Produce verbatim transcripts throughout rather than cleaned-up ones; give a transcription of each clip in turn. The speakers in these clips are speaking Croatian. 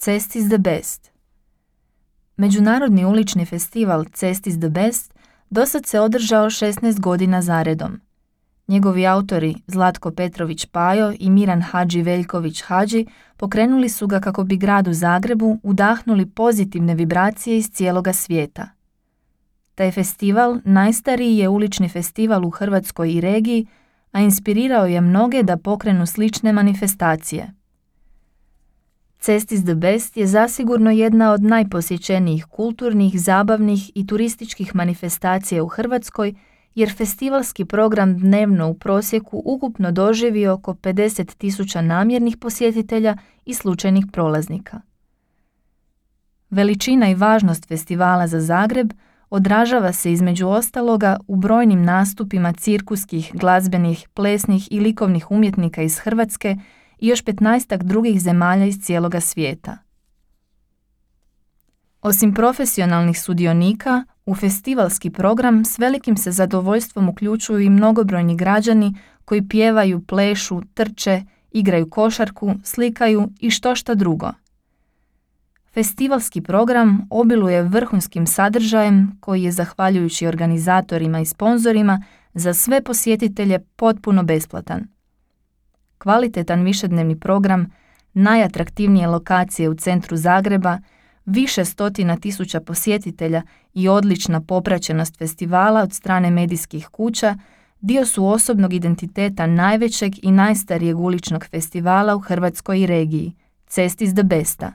Cest is the Best. Međunarodni ulični festival Cest is the Best dosad se održao šesnaest godina zaredom. Njegovi autori Zlatko Petrović Pajo i Miran Hadži Veljković Hadži pokrenuli su ga kako bi gradu Zagrebu udahnuli pozitivne vibracije iz cijeloga svijeta. Taj festival najstariji je ulični festival u Hrvatskoj i regiji, a inspirirao je mnoge da pokrenu slične manifestacije. Cest is the Best je zasigurno jedna od najposjećenijih kulturnih, zabavnih i turističkih manifestacija u Hrvatskoj, jer festivalski program dnevno u prosjeku ukupno doživi oko pedeset tisuća namjernih posjetitelja i slučajnih prolaznika. Veličina i važnost festivala za Zagreb odražava se između ostaloga u brojnim nastupima cirkuskih, glazbenih, plesnih i likovnih umjetnika iz Hrvatske i još petnaestak drugih zemalja iz cijeloga svijeta. Osim profesionalnih sudionika, u festivalski program s velikim se zadovoljstvom uključuju i mnogobrojni građani koji pjevaju, plešu, trče, igraju košarku, slikaju i štošta drugo. Festivalski program obiluje vrhunskim sadržajem koji je, zahvaljujući organizatorima i sponzorima, za sve posjetitelje potpuno besplatan. Kvalitetan višednevni program, najatraktivnije lokacije u centru Zagreba, više stotina tisuća posjetitelja i odlična popraćenost festivala od strane medijskih kuća dio su osobnog identiteta najvećeg i najstarijeg uličnog festivala u Hrvatskoj i regiji, Cest is the Besta.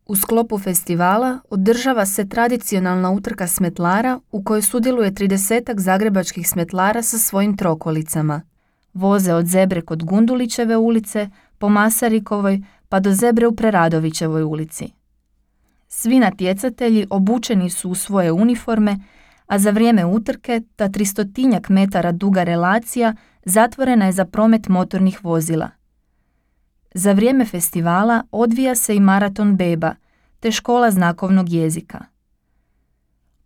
U sklopu festivala održava se tradicionalna utrka smetlara u kojoj sudjeluje tridesetak zagrebačkih smetlara sa svojim trokolicama. Voze od zebre kod Gundulićeve ulice, po Masarikovoj pa do zebre u Preradovićevoj ulici. Svi natjecatelji obučeni su u svoje uniforme, a za vrijeme utrke ta tristotinjak metara duga relacija zatvorena je za promet motornih vozila. Za vrijeme festivala odvija se i maraton beba, te škola znakovnog jezika.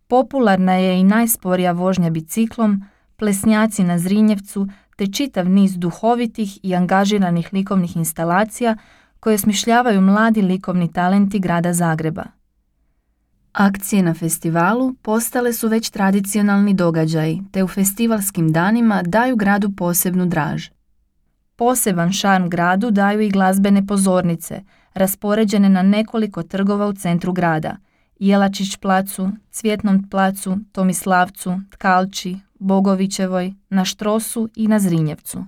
Popularna je i najsporija vožnja biciklom, plesnjaci na Zrinjevcu, te čitav niz duhovitih i angažiranih likovnih instalacija koje smišljavaju mladi likovni talenti grada Zagreba. Akcije na festivalu postale su već tradicionalni događaji, te u festivalskim danima daju gradu posebnu draž. Poseban šarm gradu daju i glazbene pozornice, raspoređene na nekoliko trgova u centru grada, Jelačić placu, Cvjetnom placu, Tomislavcu, Tkalči, Bogovićevoj, na Štrosu i na Zrinjevcu.